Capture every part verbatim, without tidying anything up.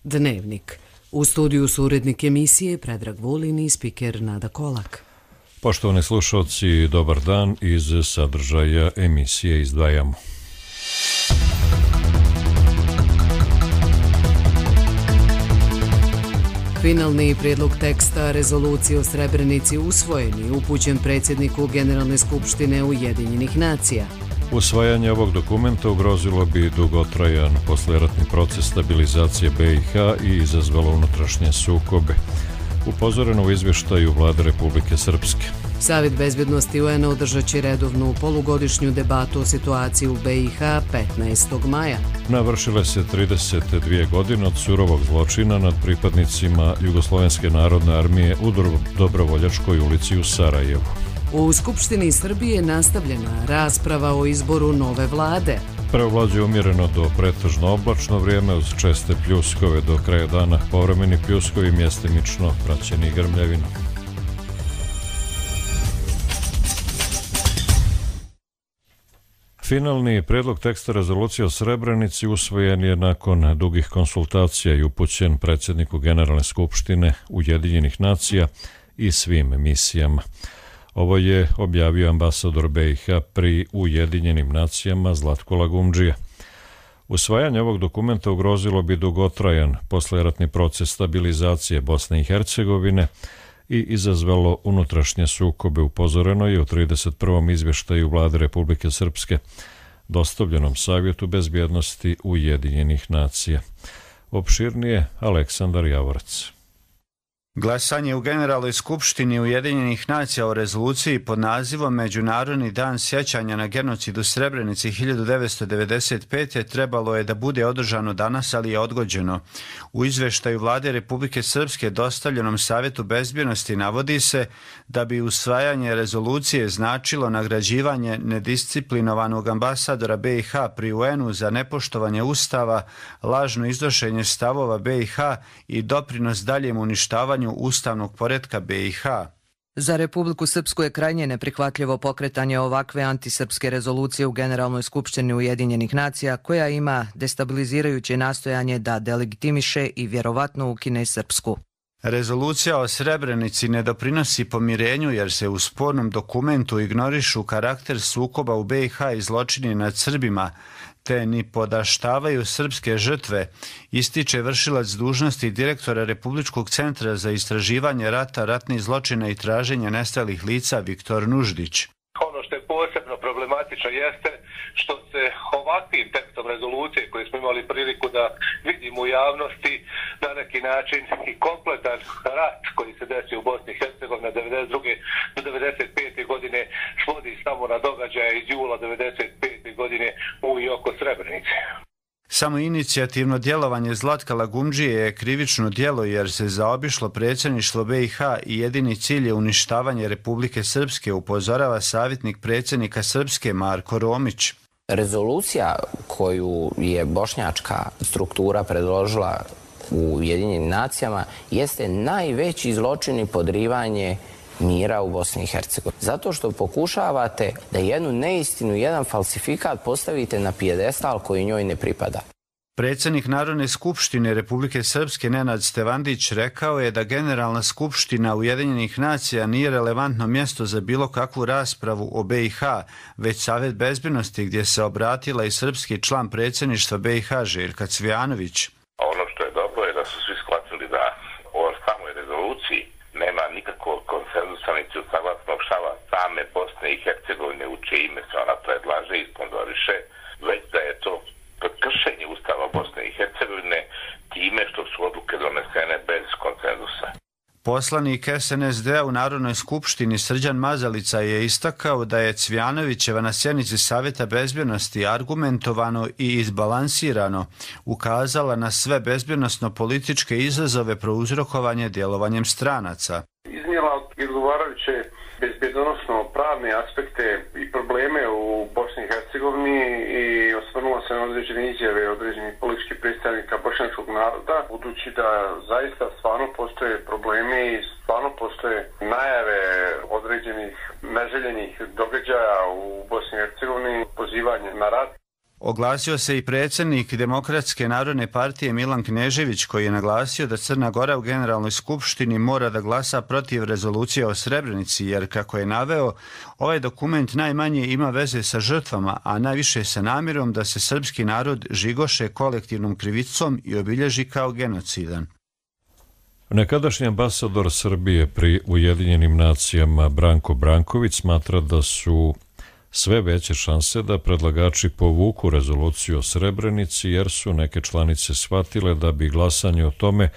Dnevnik. U studiju su urednik emisije Predrag Vulin i spiker Nada Kolak. Poštovani slušalci, dobar dan. Iz sadržaja emisije izdvajamo. Finalni prijedlog teksta rezolucije o Srebrenici usvojen i upućen predsjedniku Generalne skupštine Ujedinjenih nacija. Usvajanje ovog dokumenta ugrozilo bi dugotrajan poslijeratni proces stabilizacije B i H i izazvalo unutrašnje sukobe. Upozoreno u izvještaju Vlade Republike Srpske. Savjet bezbjednosti U N-a održat će redovnu polugodišnju debatu o situaciji u B i H petnaestog maja. Navršile se trideset dvije godine od surovog zločina nad pripadnicima Jugoslovenske narodne armije u Dobrovoljačkoj ulici u Sarajevu. U Skupštini Srbije nastavljena rasprava o izboru nove vlade. Preovlađuje umjereno do pretežno oblačno vrijeme uz česte pljuskove do kraja dana, povremeni pljuskovi mjestimično praćeni grmljavinom. Finalni prijedlog teksta rezolucije o Srebrenici usvojen je nakon dugih konsultacija i upućen predsjedniku Generalne skupštine Ujedinjenih nacija i svim misijama. Ovo je objavio ambasador B i H pri Ujedinjenim nacijama Zlatko Lagumdžija. Usvajanje ovog dokumenta ugrozilo bi dugotrajan poslijeratni proces stabilizacije Bosne i Hercegovine i izazvalo unutrašnje sukobe. Upozoreno je u trideset prvom izvještaju Vlade Republike Srpske dostavljenom Savjetu bezbjednosti Ujedinjenih nacija. Opširnije Aleksandar Javorac. Glasanje u Generalnoj skupštini Ujedinjenih nacija o rezoluciji pod nazivom Međunarodni dan sjećanja na genocid u Srebrenici hiljadu devetsto devedeset pete. trebalo je da bude održano danas, ali je odgođeno. U izvještaju Vlade Republike Srpske dostavljenom Savjetu bezbjednosti navodi se da bi usvajanje rezolucije značilo nagrađivanje nedisciplinovanog ambasadora B i H pri U N-u za nepoštovanje Ustava, lažno iznošenje stavova B i H i doprinos daljem uništavanju ustavnog poretka B i H. Za Republiku Srpsku je krajnje neprihvatljivo pokretanje ovakve antisrpske rezolucije u Generalnoj skupštini Ujedinjenih nacija, koja ima destabilizirajuće nastojanje da delegitimiše i vjerovatno ukine Srpsku. Rezolucija o Srebrenici ne doprinosi pomirenju jer se u spornom dokumentu ignorišu karakter sukoba u B i H i zločini nad Srbima, te ni podaštavaju srpske žrtve, ističe vršilac dužnosti direktora Republičkog centra za istraživanje rata, ratnih zločina i traženja nestalih lica Viktor Nuždić. Ono što je posebno problematično jeste što se ovakvim tekstom rezolucije koje smo imali priliku da vidimo u javnosti na neki način i kompletan rat koji se desio u Bosni i Hercegovini od devedeset druge do devedeset pete. godine svodi samo na događaje iz jula devedeset pete. godine u i oko Srebrenice. Samo inicijativno djelovanje Zlatka Lagumdžije je krivično djelo jer se zaobišlo predsjedništvo B i H i jedini cilj je uništavanje Republike Srpske, upozorava savjetnik predsjednika Srpske Marko Romić. Rezolucija koju je bošnjačka struktura predložila u Ujedinjenim nacijama jeste najveći zločin i podrivanje mira u Bosni i Hercegovini. Zato što pokušavate da jednu neistinu, jedan falsifikat postavite na pijedestal koji njoj ne pripada. Predsjednik Narodne skupštine Republike Srpske Nenad Stevandić rekao je da Generalna skupština Ujedinjenih nacija nije relevantno mjesto za bilo kakvu raspravu o B i H, već Savjet bezbjednosti gdje se obratila i srpski član predsjedništva B i H Željka Cvijanović. Ono što je dobro je da su svi shvatili da o samoj rezoluciji nema nikakvog konsenzusa niti usaglasnog stava same Bosne i Hercegovine u čije ime se ona predlaže i sponzoriše, već da je to kršenje Ustava Bosne i Hercegovine time što su odluke donesene bez konsenzusa. Poslanik S N S D-a u Narodnoj skupštini Srđan Mazalica je istakao da je Cvijanovićeva na sjednici Savjeta bezbjednosti argumentovano i izbalansirano ukazala na sve bezbjednosno-političke izazove prouzrokovanje djelovanjem stranaca. Iznijela odgovarajuće bezbjednosno-pravne aspekte i probleme u Bosni i Hercegovini i osvrnula se na određene izjave određenih političkih predstavnika bošnjačkog naroda, budući da zaista stvarno postoje problemi i stvarno postoje najave određenih neželjenih događaja u Bosni i Hercegovini, pozivanje na rat. Oglasio se i predsjednik Demokratske narodne partije Milan Knežević, koji je naglasio da Crna Gora u Generalnoj skupštini mora da glasa protiv rezolucije o Srebrenici, jer, kako je naveo, ovaj dokument najmanje ima veze sa žrtvama, a najviše sa namjerom da se srpski narod žigoše kolektivnom krivicom i obilježi kao genocidan. Nekadašnji ambasador Srbije pri Ujedinjenim nacijama Branko Branković smatra da su sve veće šanse da predlagači povuku rezoluciju o Srebrenici, jer su neke članice shvatile da bi glasanje o tome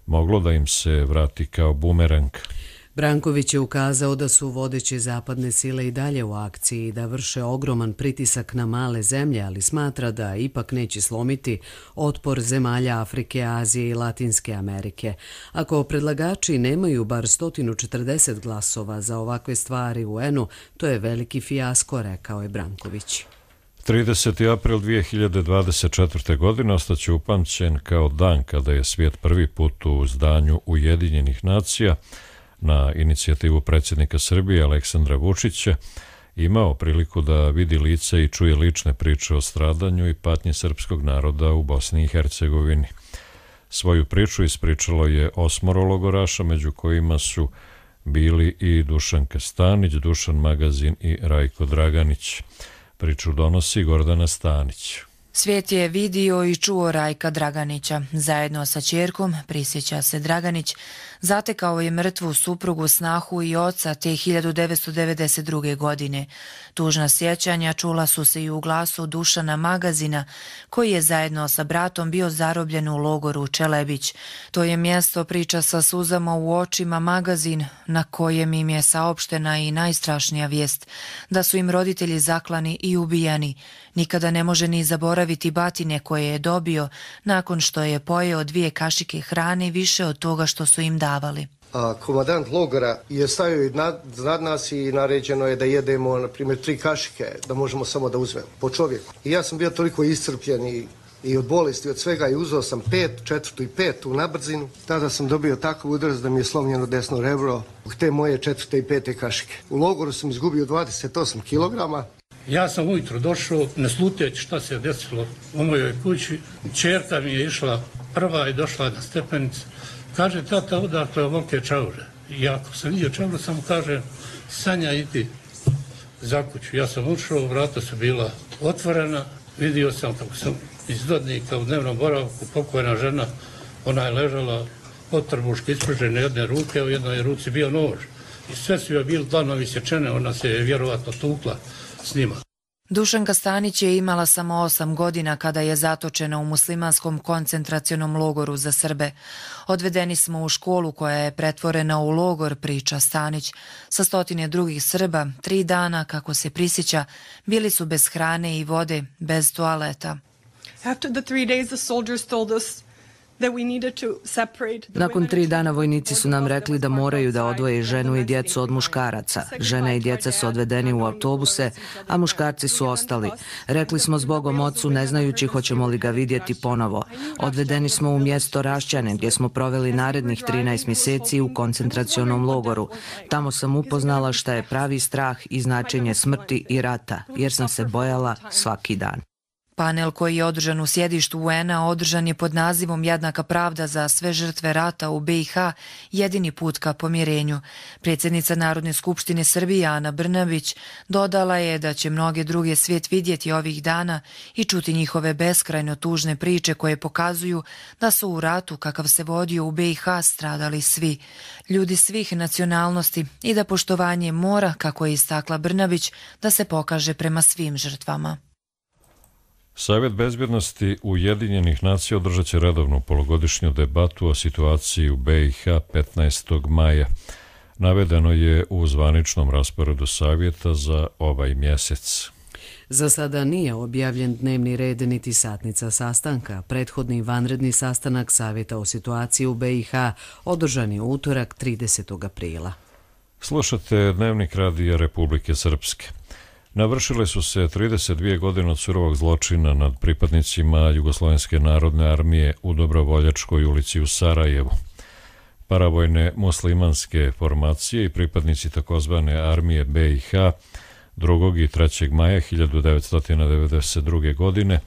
moglo da im se vrati kao bumerang. Branković je ukazao da su vodeće zapadne sile i dalje u akciji i da vrše ogroman pritisak na male zemlje, ali smatra da ipak neće slomiti otpor zemalja Afrike, Azije i Latinske Amerike. Ako predlagači nemaju bar sto četrdeset glasova za ovakve stvari u U N-u, to je veliki fijasko, rekao je Branković. trideseti april dvije hiljade dvadeset četvrte. godine ostaće upamćen kao dan kada je svijet prvi put u zdanju Ujedinjenih nacija na inicijativu predsjednika Srbije Aleksandra Vučića imao priliku da vidi lice i čuje lične priče o stradanju i patnji srpskog naroda u Bosni i Hercegovini. Svoju priču ispričalo je osmoro logoraša, među kojima su bili i Dušanka Stanić, Dušan Magazin i Rajko Draganić. Priču donosi Gordana Stanić. Svijet je vidio i čuo Rajka Draganića. Zajedno sa ćerkom, prisjeća se Draganić, zatekao je mrtvu suprugu, snahu i oca te hiljadu devetsto devedeset druge. godine. Tužna sjećanja čula su se i u glasu Dušana Magazina, koji je zajedno sa bratom bio zarobljen u logoru Čelebić. To je mjesto, priča sa suzama u očima Magazin, na kojem im je saopštena i najstrašnija vijest, da su im roditelji zaklani i ubijani. Nikada ne može ni zaboraviti batine koje je dobio nakon što je pojeo dvije kašike hrane više od toga što su im davali. A komandant logora je stavio iznad nas i naređeno je da jedemo, na primjer, tri kašike, da možemo samo da uzmemo po čovjeku. I ja sam bio toliko iscrpljen i, i od bolesti, od svega, i uzeo sam pet, četvrtu i petu na brzinu. Tada sam dobio takav udarac da mi je slomljeno desno rebro u te moje četvrte i pete kašike. U logoru sam izgubio dvadeset osam kilograma. Ja sam ujutro došao, ne sluteći šta se je desilo u mojoj kući. Čerka mi je išla prva i došla na stepenicu. Kaže, tata, odakle ovolike čaure. I ako sam vidio čaure, samo kaže, Sanja, idi za kuću. Ja sam ušao, vrata su bila otvorena. Vidio sam kako sam iz Dodnika u dnevnom boravku, pokojna žena, ona je ležala od trbuške ispružene jedne ruke, u jednoj ruci bio nož. I sve su joj bili dlanovi sječene, ona se je vjerovatno tukla s njima. Dušanka Stanić je imala samo osam godina kada je zatočena u muslimanskom koncentracionom logoru za Srbe. Odvedeni smo u školu koja je pretvorena u logor, priča Stanić. Sa stotine drugih Srba, tri dana, kako se prisjeća, bili su bez hrane i vode, bez toaleta. After the three days, the soldiers told us Nakon tri dana vojnici su nam rekli da moraju da odvoje ženu i djecu od muškaraca. Žena i djeca su odvedeni u autobuse, a muškarci su ostali. Rekli smo zbogom ocu, ne znajući hoćemo li ga vidjeti ponovo. Odvedeni smo u mjesto Rašćane, gdje smo proveli narednih trinaest mjeseci u koncentracionom logoru. Tamo sam upoznala šta je pravi strah i značenje smrti i rata, jer sam se bojala svaki dan. Panel koji je održan u sjedištu U N-a održan je pod nazivom Jednaka pravda za sve žrtve rata u B i H, jedini put ka pomirenju. Predsjednica Narodne skupštine Srbije Ana Brnabić dodala je da će mnoge druge svijet vidjeti ovih dana i čuti njihove beskrajno tužne priče koje pokazuju da su u ratu kakav se vodio u B i H stradali svi, ljudi svih nacionalnosti, i da poštovanje mora, kako je istakla Brnabić, da se pokaže prema svim žrtvama. Savjet bezbjednosti Ujedinjenih nacija održat će redovnu polugodišnju debatu o situaciji u B i H petnaestog maja. Navedeno je u zvaničnom rasporedu savjeta za ovaj mjesec. Za sada nije objavljen dnevni red niti satnica sastanka. Prethodni vanredni sastanak Savjeta o situaciji u B i H održan je utorak tridesetog aprila. Slušate Dnevnik radija Republike Srpske. Navršile su se trideset dvije godine od surovog zločina nad pripadnicima Jugoslovenske narodne armije u Dobrovoljačkoj ulici u Sarajevu. Paravojne muslimanske formacije i pripadnici takozvane armije B i H drugog i trećeg maja hiljadu devetsto devedeset druge. godine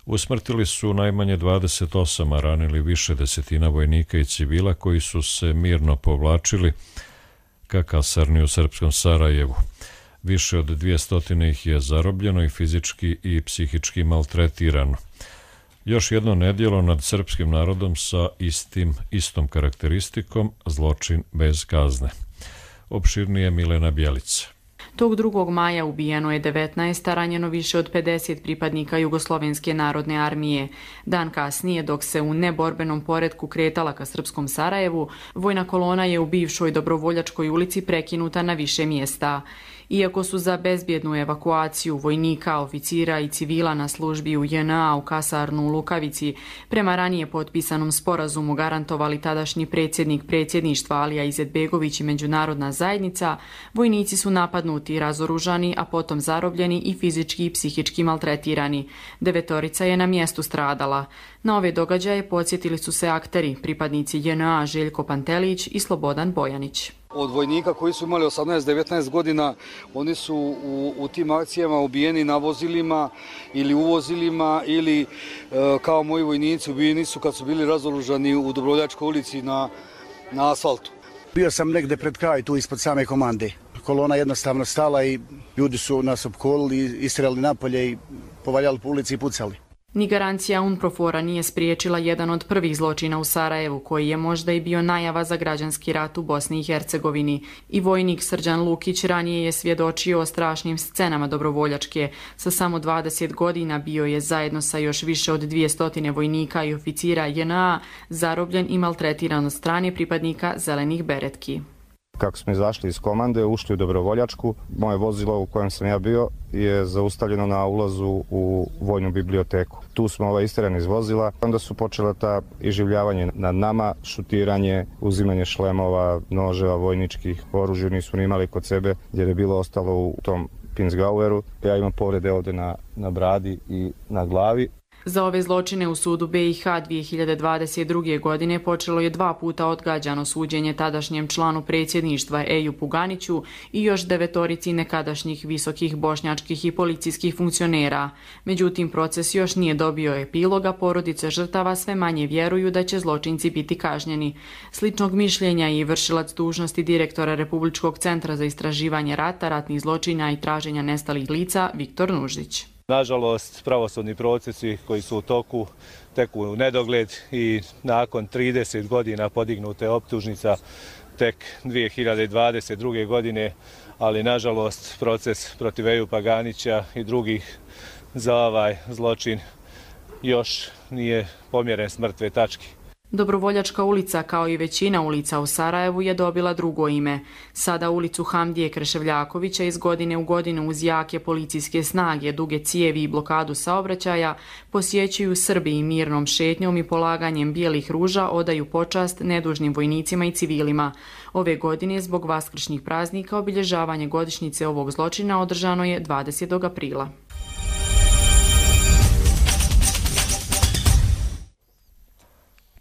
usmrtili su najmanje dvadeset osam, a ranili više desetina vojnika i civila koji su se mirno povlačili ka kasarni u srpskom Sarajevu. Više od dvjesto ih je zarobljeno i fizički i psihički maltretirano. Još jedno nedjelo nad srpskim narodom sa istim, istom karakteristikom, zločin bez kazne. Opširnije Milena Bjelica. Tog drugog maja ubijeno je devetnaest, a ranjeno više od pedeset pripadnika Jugoslovenske narodne armije. Dan kasnije, dok se u neborbenom poretku kretala ka srpskom Sarajevu, vojna kolona je u bivšoj Dobrovoljačkoj ulici prekinuta na više mjesta. Iako su za bezbjednu evakuaciju vojnika, oficira i civila na službi u J N A u kasarnu u Lukavici prema ranije potpisanom sporazumu garantovali tadašnji predsjednik predsjedništva Alija Izetbegović i međunarodna zajednica, vojnici su napadnuti i razoružani, a potom zarobljeni i fizički i psihički maltretirani. Devetorica je na mjestu stradala. Na ove događaje podsjetili su se akteri, pripadnici J N A Željko Pantelić i Slobodan Bojanić. Od vojnika koji su imali osamnaest devetnaest godina, oni su u, u tim akcijama ubijeni na vozilima ili u vozilima ili e, kao moji vojnici ubijeni su kad su bili razoružani u Dobrovoljačkoj ulici na, na asfaltu. Bio sam negde pred kraj tu ispod same komande. Kolona jednostavno stala i ljudi su nas opkolili, istrali napolje i povaljali po ulici i pucali. Ni garancija UNPROFOR-a nije spriječila jedan od prvih zločina u Sarajevu, koji je možda i bio najava za građanski rat u Bosni i Hercegovini. I vojnik Srđan Lukić ranije je svjedočio o strašnim scenama Dobrovoljačke. Sa samo dvadeset godina bio je zajedno sa još više od dvjesto vojnika i oficira J N A zarobljen i maltretiran od strane pripadnika zelenih beretki. Kako smo izašli iz komande, ušli u Dobrovoljačku, moje vozilo u kojem sam ja bio je zaustavljeno na ulazu u vojnu biblioteku. Tu smo ovaj isterani iz vozila, onda su počela ta iživljavanje nad nama, šutiranje, uzimanje šlemova, noževa, vojničkih, oružja nisu imali kod sebe, jer je bilo ostalo u tom Pinsgaueru. Ja imam povrede ovdje na, na bradi i na glavi. Za ove zločine u sudu B i H dvije hiljade dvadeset druge. godine počelo je dva puta odgađano suđenje tadašnjem članu predsjedništva Eju Puganiću i još devetorici nekadašnjih visokih bošnjačkih i policijskih funkcionera. Međutim, proces još nije dobio epiloga, porodice žrtava sve manje vjeruju da će zločinci biti kažnjeni. Sličnog mišljenja i vršilac dužnosti direktora Republičkog centra za istraživanje rata, ratnih zločina i traženja nestalih lica Viktor Nuždić. Nažalost, pravosudni procesi koji su u toku teku u nedogled i nakon trideset godina podignute optužnica tek dvije hiljade dvadeset druge. godine, ali nažalost proces protiv Eju Paganića i drugih za ovaj zločin još nije pomjeren s mrtve tačke. Dobrovoljačka ulica, kao i većina ulica u Sarajevu, je dobila drugo ime. Sada ulicu Hamdije Kreševljakovića iz godine u godinu uz jake policijske snage, duge cijevi i blokadu saobraćaja posjećuju Srbi i mirnom šetnjom i polaganjem bijelih ruža odaju počast nedužnim vojnicima i civilima. Ove godine, zbog vaskršnjih praznika, obilježavanje godišnjice ovog zločina održano je dvadesetog aprila.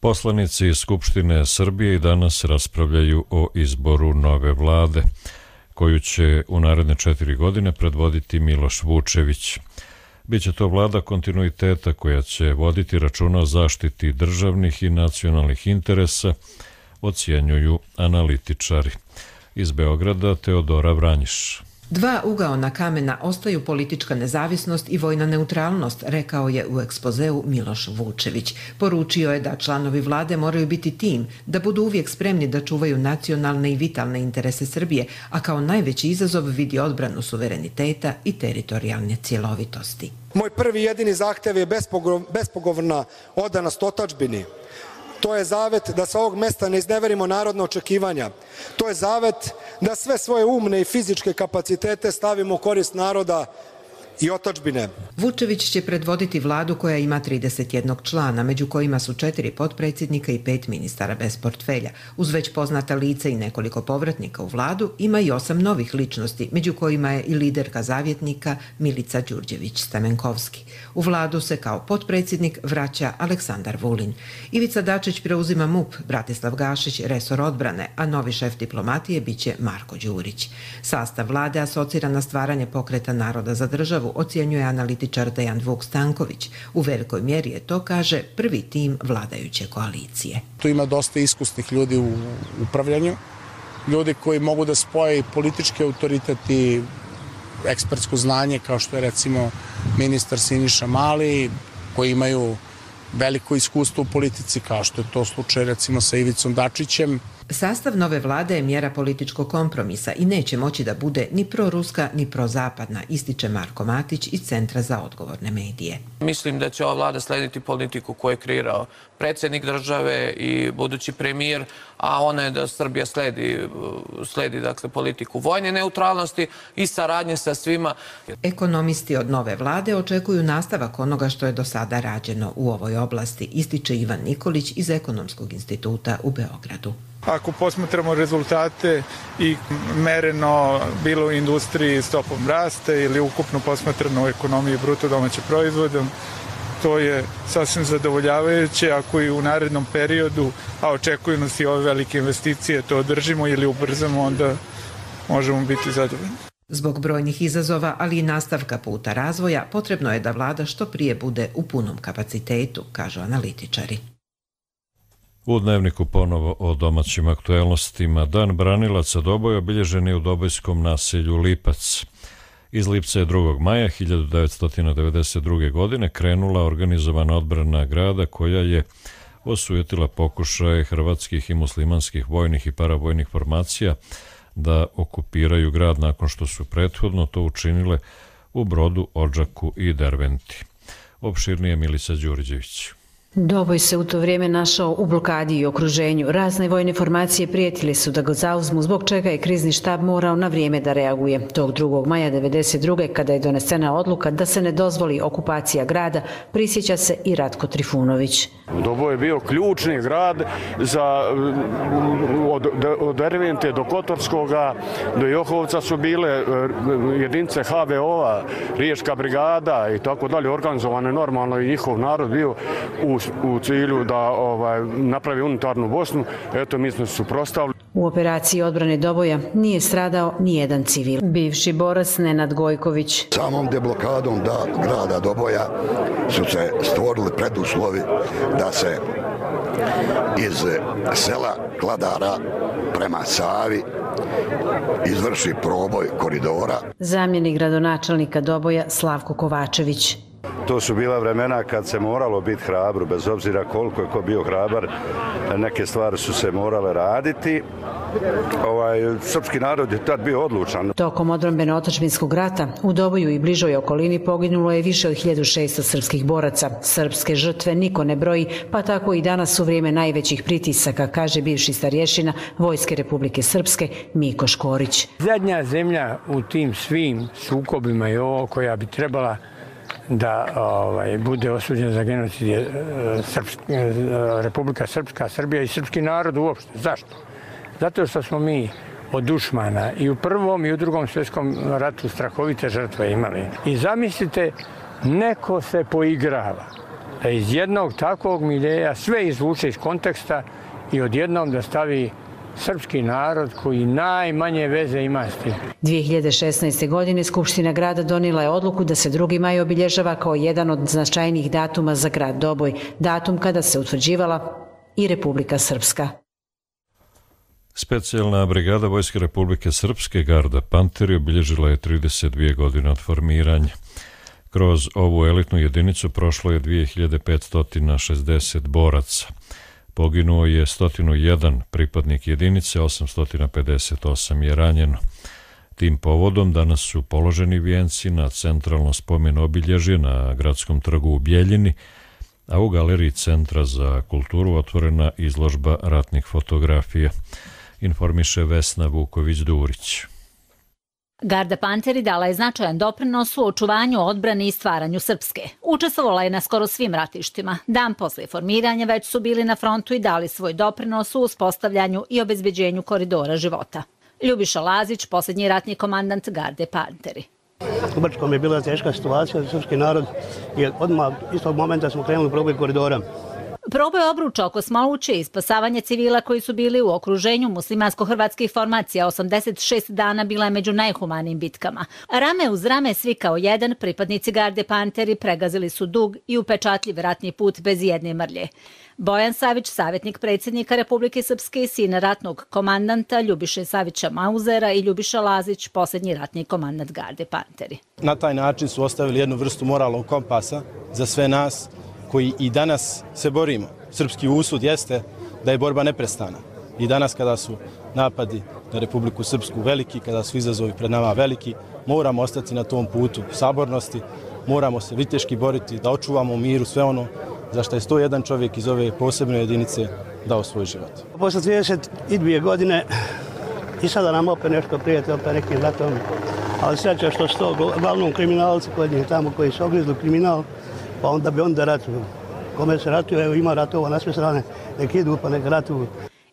Poslanici Skupštine Srbije i danas raspravljaju o izboru nove vlade, koju će u naredne četiri godine predvoditi Miloš Vučević. Biće to vlada kontinuiteta koja će voditi računa o zaštiti državnih i nacionalnih interesa, ocjenjuju analitičari. Iz Beograda Teodora Vranjiš. Dva ugaona kamena ostaju politička nezavisnost i vojna neutralnost, rekao je u ekspozeu Miloš Vučević. Poručio je da članovi vlade moraju biti tim, da budu uvijek spremni da čuvaju nacionalne i vitalne interese Srbije, a kao najveći izazov vidi odbranu suvereniteta i teritorijalne cjelovitosti. Moj prvi jedini zahtev je bespogovorna odanost otadžbini. To je zavet da sa ovog mesta ne izneverimo narodna očekivanja. To je zavet da sve svoje umne i fizičke kapacitete stavimo u korist naroda i otadžbine. Vučević će predvoditi vladu koja ima trideset jedan člana, među kojima su četiri potpredsjednika i pet ministara bez portfelja. Uz već poznata lica i nekoliko povratnika u vladu, ima i osam novih ličnosti, među kojima je i liderka zavjetnika Milica Đurđević-Stamenkovski. U vladu se kao potpredsjednik vraća Aleksandar Vulin. Ivica Dačić preuzima M U P, Bratislav Gašić resor odbrane, a novi šef diplomatije biće Marko Đurić. Sastav vlade asocira na stvaranje Pokreta naroda za državu, ocjenjuje analitičar Dejan Vuk Stanković. U velikoj mjeri je to, kaže, prvi tim vladajuće koalicije. Tu ima dosta iskusnih ljudi u upravljanju, ljudi koji mogu da spoje politički autoritet i ekspertsko znanje, kao što je recimo ministar Siniša Mali, koji imaju veliko iskustvo u politici, kao što je to slučaj recimo sa Ivicom Dačićem. Sastav nove vlade je mjera političkog kompromisa i neće moći da bude ni proruska ni prozapadna, ističe Marko Matić iz Centra za odgovorne medije. Mislim da će ova vlada slediti politiku koju je kreirao predsjednik države i budući premijer, a ona je da Srbija sledi, sledi dakle, politiku vojne neutralnosti i saradnje sa svima. Ekonomisti od nove vlade očekuju nastavak onoga što je do sada rađeno u ovoj oblasti, ističe Ivan Nikolić iz Ekonomskog instituta u Beogradu. Ako posmatramo rezultate i mereno bilo u industriji stopom rasta ili ukupno posmatrano u ekonomiji bruto domaćeg proizvoda, to je sasvim zadovoljavajuće. Ako i u narednom periodu, a očekuju nas i ove velike investicije, to održimo ili ubrzamo, onda možemo biti zadovoljni. Zbog brojnih izazova, ali i nastavka puta razvoja, potrebno je da vlada što prije bude u punom kapacitetu, kažu analitičari. U Dnevniku ponovo o domaćim aktuelnostima. Dan branilaca Doboja obilježen je u dobojskom naselju Lipac. Iz Lipca je drugog maja hiljadu devetsto devedeset druge. godine krenula organizovana odbrana grada koja je osujetila pokušaje hrvatskih i muslimanskih vojnih i paravojnih formacija da okupiraju grad nakon što su prethodno to učinile u Brodu, Odžaku i Derventi. Opširnije Milica Đurđević. Doboj se u to vrijeme našao u blokadi i okruženju. Razne vojne formacije prijetile su da ga zauzmu, zbog čega je krizni štab morao na vrijeme da reaguje. Tog drugog maja devedeset druge. kada je donesena odluka da se ne dozvoli okupacija grada, prisjeća se i Ratko Trifunović. Doboj je bio ključni grad za, od, od Dervente do Kotorskoga, do Johovca su bile jedinice ha ve o-a, Riječka brigada i tako dalje, organizovane normalno i njihov narod bio u u cilju da ovaj, napravi unitarnu Bosnu. Eto, mi smo se suprotstavili. U operaciji odbrane Doboja nije stradao ni jedan civil. Bivši borac Nenad Gojković. Samom deblokadom da grada Doboja su se stvorili preduslovi da se iz sela Kladara prema Savi izvrši proboj koridora. Zamjenik gradonačelnika Doboja Slavko Kovačević. To su bila vremena kad se moralo biti hrabro, bez obzira koliko je ko bio hrabar, neke stvari su se morale raditi. Ovaj, srpski narod je tad bio odlučan. Tokom odbrambeno-otadžbinskog rata u Doboju i bližoj okolini poginulo je više od hiljadu šesto srpskih boraca. Srpske žrtve niko ne broji, pa tako i danas u vrijeme najvećih pritisaka, kaže bivši starješina Vojske Republike Srpske Miko Škorić. Zadnja zemlja u tim svim sukobima je ovo koja bi trebala da ovaj, bude osuđen za genocid je Srpska, Republika Srpska, Srbija i srpski narod uopšte. Zašto? Zato što smo mi od dušmana i u prvom i u drugom svjetskom ratu strahovite žrtve imali. I zamislite, neko se poigrava da iz jednog takvog miljeja sve izvuče iz konteksta i odjednom da stavi srpski narod koji najmanje veze ima s tim. dvije hiljade šesnaeste. godine Skupština grada donijela je odluku da se drugi maj obilježava kao jedan od značajnijih datuma za grad Doboj, datum kada se utvrđivala i Republika Srpska. Specijalna brigada Vojske Republike Srpske Garda Panteri obilježila je trideset dvije godine od formiranja. Kroz ovu elitnu jedinicu prošlo je dvije hiljade petsto šezdeset boraca. Poginuo je sto jedan pripadnik jedinice, osamsto pedeset osam je ranjeno. Tim povodom danas su položeni vijenci na centralno spomen obilježje na Gradskom trgu u Bjeljini, a u galeriji Centra za kulturu otvorena izložba ratnih fotografija, informiše Vesna Vuković-Durić. Garda Panteri dala je značajan doprinos u očuvanju, odbrani i stvaranju Srpske. Učestvovala je na skoro svim ratištima. Dan posle formiranja već su bili na frontu i dali svoj doprinos u uspostavljanju i obezbeđenju koridora života. Ljubiša Lazić, posljednji ratni komandant Garde Panteri. U Brčkom je bila teška situacija za srpski narod i odmah iz tog momenta smo krenuli u proboj koridora. Proboj obruča oko Smoluće i spasavanje civila koji su bili u okruženju muslimansko-hrvatskih formacija osamdeset šest dana bila je među najhumanijim bitkama. Rame uz rame, svi kao jedan, pripadnici Garde Panteri pregazili su dug i upečatljiv ratni put bez jedne mrlje. Bojan Savić, savjetnik predsjednika Republike Srpske, sin ratnog komandanta Ljubiše Savića Mauzera, i Ljubiša Lazić, posljednji ratni komandant Garde Panteri. Na taj način su ostavili jednu vrstu moralnog kompasa za sve nas koji i danas se borimo. Srpski usud jeste da je borba neprestana. I danas kada su napadi na Republiku Srpsku veliki, kada su izazovi pred nama veliki, moramo ostati na tom putu sabornosti, moramo se viteški boriti da očuvamo u miru sve ono za što je sto jedan čovjek iz ove posebne jedinice dao svoj život. Posle trideset dvije godine i sada nam opet nešto prijeti, opet nekim ratom, ali sreća što su to uglavnom kriminalci kod njih tamo koji su ogrizli kriminal, pa onda bi onda ratuju. Kome se ratuje, evo ima ratova na sve strane, nek idu pa nek ratuju.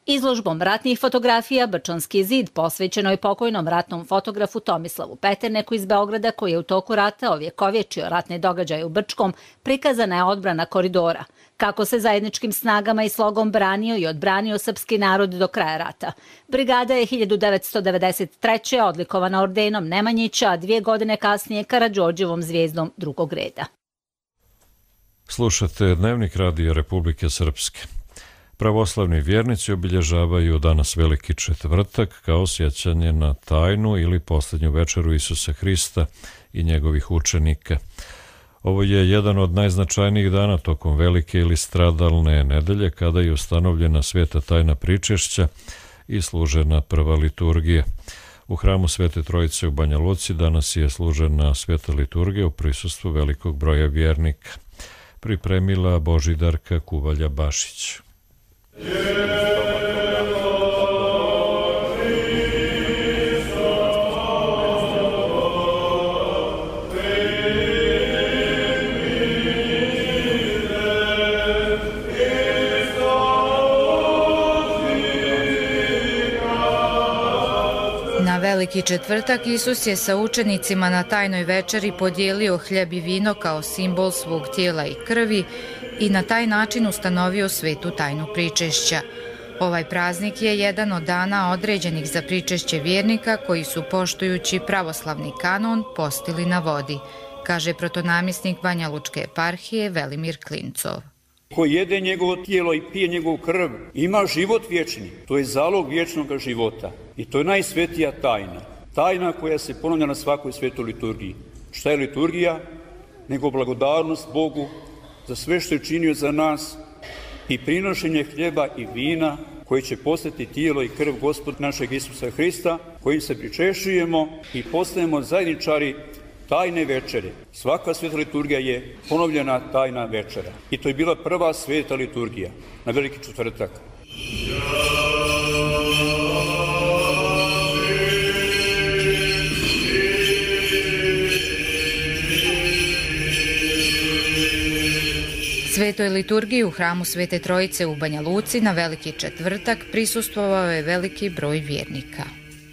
Izložbom ratnih fotografija Brčanski zid posvećeno je pokojnom ratnom fotografu Tomislavu Peterneku iz Beograda, koji je u toku rata ovjekovječio ratne događaje u Brčkom, prikazana je odbrana koridora, kako se zajedničkim snagama i slogom branio i odbranio srpski narod do kraja rata. Brigada je hiljadu devetsto devedeset treće odlikovana ordenom Nemanjića, a dvije godine kasnije Karađorđevom zvijezdom drugog reda. Slušate Dnevnik Radija Republike Srpske. Pravoslavni vjernici obilježavaju danas Veliki četvrtak kao sjećanje na tajnu ili posljednju večeru Isusa Hrista i njegovih učenika. Ovo je jedan od najznačajnijih dana tokom Velike ili stradalne nedelje, kada je ustanovljena sveta tajna pričešća i služena prva liturgija. U hramu Svete Trojice u Banja Luci danas je služena sveta liturgija u prisustvu velikog broja vjernika. Pripremila Božidarka Kuvalja-Bašić. Na Veliki četvrtak Isus je sa učenicima na tajnoj večeri podijelio hljeb i vino kao simbol svog tijela i krvi i na taj način ustanovio svetu tajnu pričešća. Ovaj praznik je jedan od dana određenih za pričešće vjernika koji su, poštujući pravoslavni kanon, postili na vodi, kaže protonamjesnik Banja Lučke eparhije Velimir Klincov. Ko jede njegovo tijelo i pije njegovu krv, ima život vječni. To je zalog vječnog života. I to je najsvetija tajna. Tajna koja se ponavlja na svakoj svetoj liturgiji. Šta je liturgija? Nego blagodarnost Bogu za sve što je činio za nas i prinošenje hljeba i vina koji će postati tijelo i krv Gospoda našeg Isusa Hrista, kojim se pričešujemo i postajemo zajedničari tajne večere. Svaka sveta liturgija je ponovljena tajna večera. I to je bila prva sveta liturgija na Veliki četvrtak. Svetoj liturgiji u hramu Svete Trojice u Banja Luci na Veliki četvrtak prisustvovao je veliki broj vjernika.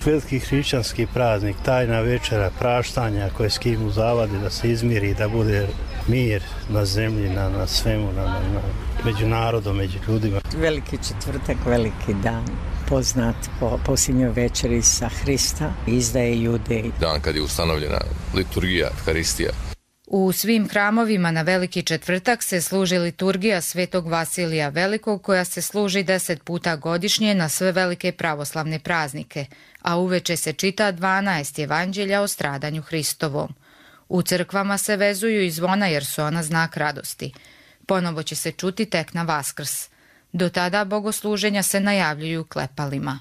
Veliki hrišćanski praznik, tajna večera, praštanja koje skimu zavade da se izmiri, da bude mir na zemlji, na, na svemu, na, na, na, među narodom, među ljudima. Veliki četvrtak, veliki dan, poznat po posljednjoj večeri sa Hrista, izdaje Judej. Dan kad je ustanovljena liturgija, Euharistija. U svim hramovima na Veliki četvrtak se služi liturgija Svetog Vasilija Velikog, koja se služi deset puta godišnje na sve velike pravoslavne praznike, a uveče se čita dvanaest evanđelja o stradanju Hristovom. U crkvama se vezuju i zvona jer su ona znak radosti. Ponovo će se čuti tek na Vaskrs. Do tada bogosluženja se najavljuju klepalima.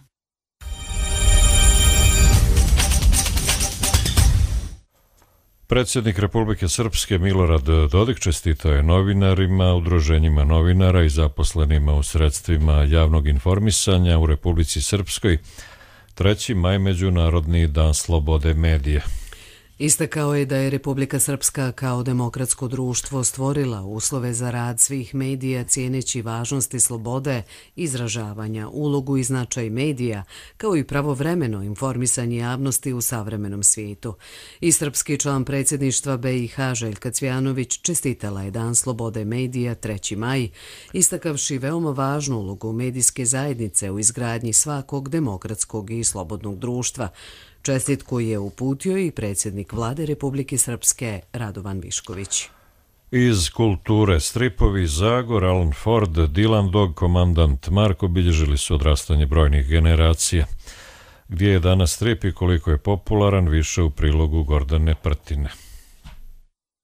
Predsjednik Republike Srpske Milorad Dodik čestitao je novinarima, udruženjima novinara i zaposlenima u sredstvima javnog informisanja u Republici Srpskoj treći maj Međunarodni dan slobode medija. Istakao je da je Republika Srpska kao demokratsko društvo stvorila uslove za rad svih medija cijeneći važnosti slobode, izražavanja, ulogu i značaj medija, kao i pravovremeno informisanje javnosti u savremenom svijetu. I srpski član predsjedništva B i H Željka Cvjanović čestitala je Dan slobode medija treći maj, istakavši veoma važnu ulogu medijske zajednice u izgradnji svakog demokratskog i slobodnog društva. Čestitku je uputio i predsjednik vlade Republike Srpske Radovan Višković. Iz kulture stripovi Zagor, Alan Ford, Dylan Dog, komandant Marko obilježili su odrastanje brojnih generacija. Gdje je danas strip i koliko je popularan, više u prilogu Gordane Prtine.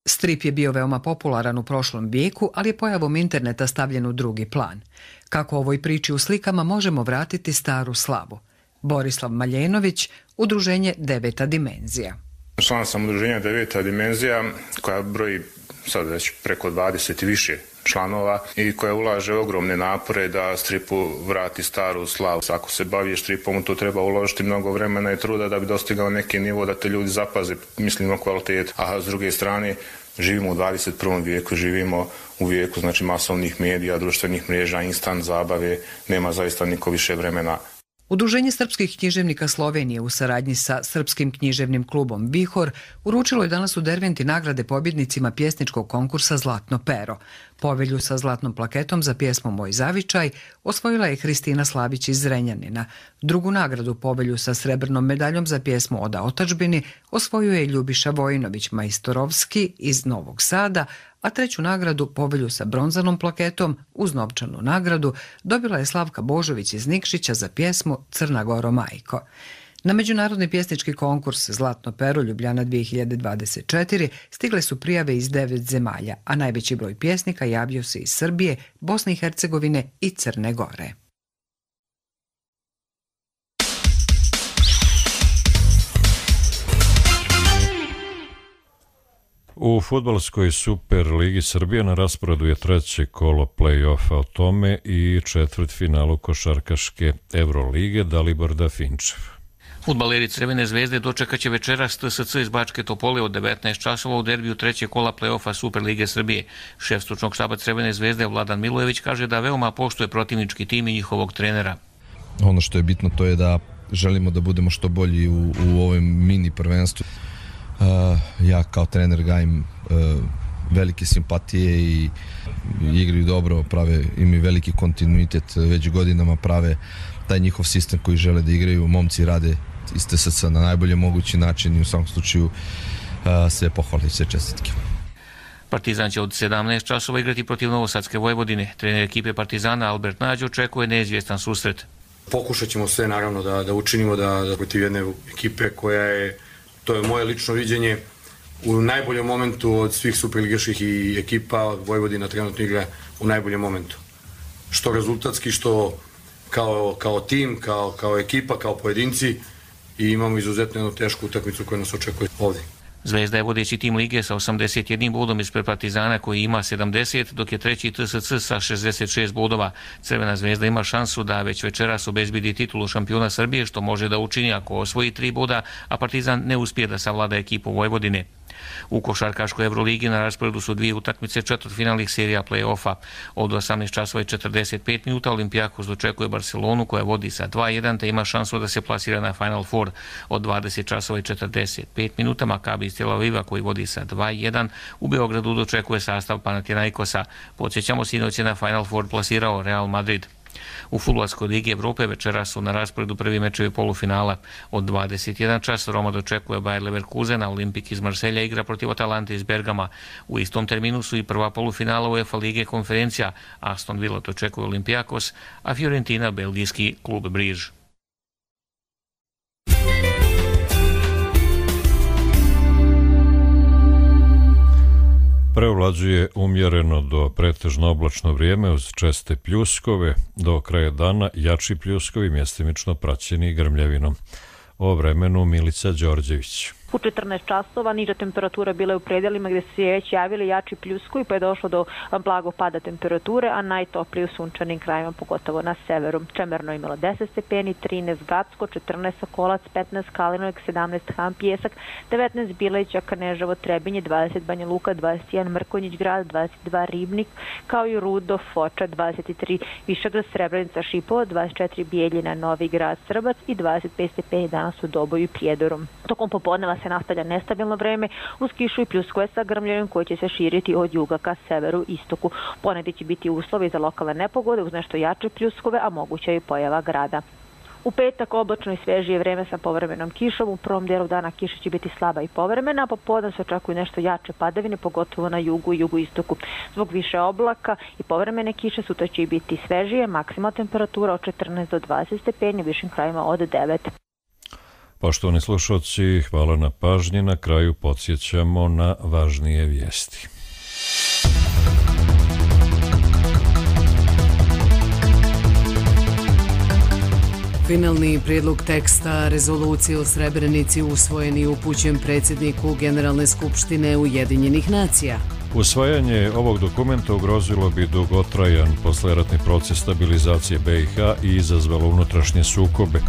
Strip je bio veoma popularan u prošlom vijeku, ali je pojavom interneta stavljen u drugi plan. Kako ovoj priči u slikama možemo vratiti staru slavu? Borislav Maljenović, Udruženje Deveta dimenzija. Član sam Udruženja Deveta dimenzija koja broji sad već preko dvadeset i više članova i koja ulaže ogromne napore da stripu vrati staru slavu. Ako se bavi stripom, to treba uložiti mnogo vremena i truda da bi dostigao neki nivo da te ljudi zapaze, mislimo kvalitet, a s druge strane živimo u dvadeset prvom vijeku, živimo u vijeku znači masovnih medija, društvenih mreža, instant zabave, nema zaista niko više vremena. Udruženje srpskih književnika Slovenije u saradnji sa Srpskim književnim klubom Vihor uručilo je danas u Derventi nagrade pobjednicima pjesničkog konkursa Zlatno pero. Povelju sa zlatnom plaketom za pjesmu Moj zavičaj osvojila je Hristina Slavić iz Zrenjanina. Drugu nagradu povelju sa srebrnom medaljom za pjesmu Oda otadžbini osvojio je Ljubiša Vojinović Majstorovski iz Novog Sada, a treću nagradu povelju sa bronzanom plaketom uz novčanu nagradu dobila je Slavka Božović iz Nikšića za pjesmu Crna Goro majko. Na međunarodni pjesnički konkurs Zlatno pero Ljubljana dvije hiljade dvadeset četiri stigle su prijave iz devet zemalja, a najveći broj pjesnika javio se iz Srbije, Bosne i Hercegovine i Crne Gore. U fudbalskoj Super Ligi Srbije na rasporedu je treće kolo play-offa, o tome i četvrtfinalu košarkaške Evrolige. Dalibor Dafinčev. Fudbaleri Crvene zvezde dočekat će večeras T S C iz Bačke Topole od devetnaest časova u derbiju treće kola play-offa Super Lige Srbije. Šef stručnog štaba Crvene zvezde Vladan Milojević kaže da veoma poštuje protivnički tim i njihovog trenera. Ono što je bitno to je da želimo da budemo što bolji u, u ovom mini prvenstvu. Uh, ja kao trener gajim uh, velike simpatije i igraju dobro, prave, imaju veliki kontinuitet, već godinama prave taj njihov sistem koji žele da igraju, momci rade iz T S C na najbolje mogući način i u svakom slučaju uh, sve pohvale i sve čestitke. Partizan će od sedamnaest časova igrati protiv Novosadske Vojvodine. Trener ekipe Partizana Albert Nađ očekuje neizvjestan susret. Pokušat ćemo sve naravno da, da učinimo da, da protiv jedne ekipe koja je, to je moje lično viđenje, u najboljem momentu od svih superligaških i ekipa Vojvodina trenutno igra u najboljem momentu. Što rezultatski, što kao, kao tim, kao, kao ekipa, kao pojedinci i imamo izuzetno jednu tešku utakmicu koja nas očekuje ovdje. Zvezda je vodeći tim lige sa osamdeset jednim bodom ispred Partizana koji ima sedamdeset, dok je treći T S C sa šezdeset šest bodova. Crvena zvezda ima šansu da već večeras obezbedi titulu šampiona Srbije, što može da učini ako osvoji tri boda, a Partizan ne uspije da savlada ekipu Vojvodine. U košarkaškoj Evroligi na rasporedu su dvije utakmice četvrtfinalnih serija play-offa. Od osamnaest časova i četrdeset pet minuta Olimpijakos dočekuje Barcelonu koja vodi sa dva jedan te ima šansu da se plasira na Final Four. Od dvadeset časova i četrdeset pet minuta Makabi iz Tel Aviva koji vodi sa dva jedan u Beogradu dočekuje sastav Panathinaikosa. Podsjećamo, sinoć je na Final Four plasirao Real Madrid. U fudbalskoj ligi Evrope večeras su na rasporedu prvi mečevi polufinala. Od dvadeset jedan čas Roma dočekuje Bayer Leverkusen, a Olimpik iz Marselja igra protiv Atalante iz Bergama. U istom terminu su i prva polufinala UEFA lige konferencija. Aston Villa dočekuje Olimpijakos, a Fiorentina belgijski klub Briž. Preovlađuje umjereno do pretežno oblačno vrijeme uz česte pljuskove, do kraja dana jači pljuskovi mjestimično praćeni grmljavinom. O vremenu Milica Đorđević. U četrnaest časova niža temperatura bila je u predelima gde su se već javili jači pljuskovi, pa je došlo do blagog pada temperature, a najtoplije u sunčanim krajima, pogotovo na severu. Čemerno je imalo deset stepeni, trinaest Gacko, četrnaest Sokolac, petnaest Kalinovik, sedamnaest Han Pjesak, devetnaest Bileća, Kaneževo, Trebinje, dvadeset Banja Luka, dvadeset jedan Mrkonjić Grad, dvadeset dva Ribnik, kao i Rudo, Foča, dvadeset tri Višegrad, Srebrenica, Šipovo, dvadeset četiri Bijeljina, Novi Grad, Srbac i dvadeset pet stepeni danas u Doboju i Prijedoru. Tokom popodneva se nastavlja nestabilno vreme uz kišu i pljuskove sa grmljenjem koji će se širiti od juga ka severu istoku. Ponegdje će biti uslovi za lokalne nepogode uz nešto jače pljuskove, a moguća je i pojava grada. U petak oblačno i svežije vreme sa povremenom kišom. U prvom dijelu dana kiša će biti slaba i povremena, a popodne se očekuju nešto jače padavine, pogotovo na jugu i jugoistoku. Zbog više oblaka i povremene kiše sutra će biti svežije, maksimalna temperatura od četrnaest do dvadeset stepeni, u višim krajima od devet. Poštovani slušalci, hvala na pažnji. Na kraju podsjećamo na važnije vijesti. Finalni prijedlog teksta rezolucije o Srebrenici usvojen i upućen predsjedniku Generalne skupštine Ujedinjenih nacija. Usvajanje ovog dokumenta ugrozilo bi dugotrajan posleratni proces stabilizacije B i H i izazvalo unutrašnje sukobe,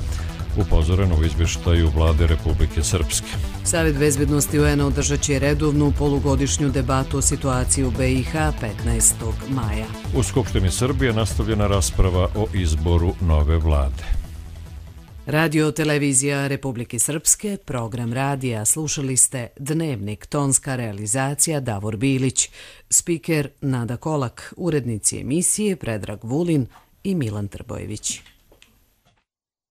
upozoreno u izvještaju Vlade Republike Srpske. Savjet bezbednosti U N-a održat će redovnu polugodišnju debatu o situaciji u B i H petnaestog maja. U Skupštini Srbije nastavljena rasprava o izboru nove vlade. Radio televizija Republike Srpske, program radija, slušali ste Dnevnik, tonska realizacija Davor Bilić, spiker Nada Kolak, urednici emisije Predrag Vulin i Milan Trbojević.